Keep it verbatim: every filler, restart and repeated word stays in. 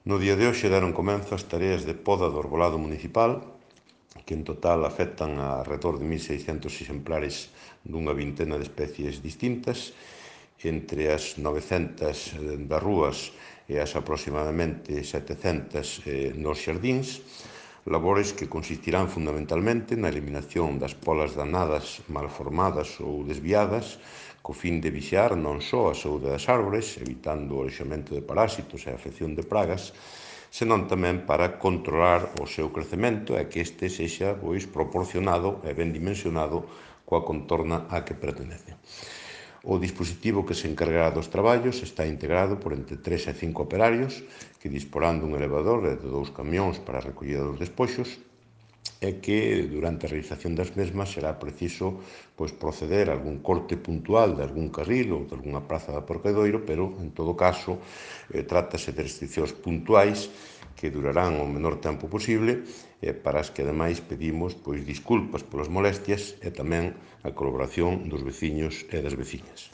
No día de hoxe deron comenzo as tareas de poda do arbolado municipal, que en total afectan a alrededor de mil seiscentos exemplares dunha vintena de especies distintas, entre as novecentas das rúas e as aproximadamente setecentas nos xardíns, labores que consistirán fundamentalmente na eliminación das polas danadas, malformadas ou desviadas, co fin de vixiar non só a saúde das árbores, evitando o alexamento de parásitos e a afección de pragas, senón tamén para controlar o seu crecemento e que este sexa pois, proporcionado e ben dimensionado coa contorna á que pertenece. O dispositivo que se encargará dos traballos está integrado por entre tres e cinco operarios que disporán dun elevador e de dous camións para a recollida dos despoxos e que durante a realización das mesmas será preciso pois, proceder a algún corte puntual de algún carril ou de algunha praza de aparcadoiro, pero en todo caso eh, trátase de restriccións puntuais que durarán o menor tempo posible e para as que ademais pedimos pois, disculpas polas molestias e tamén a colaboración dos veciños e das veciñas.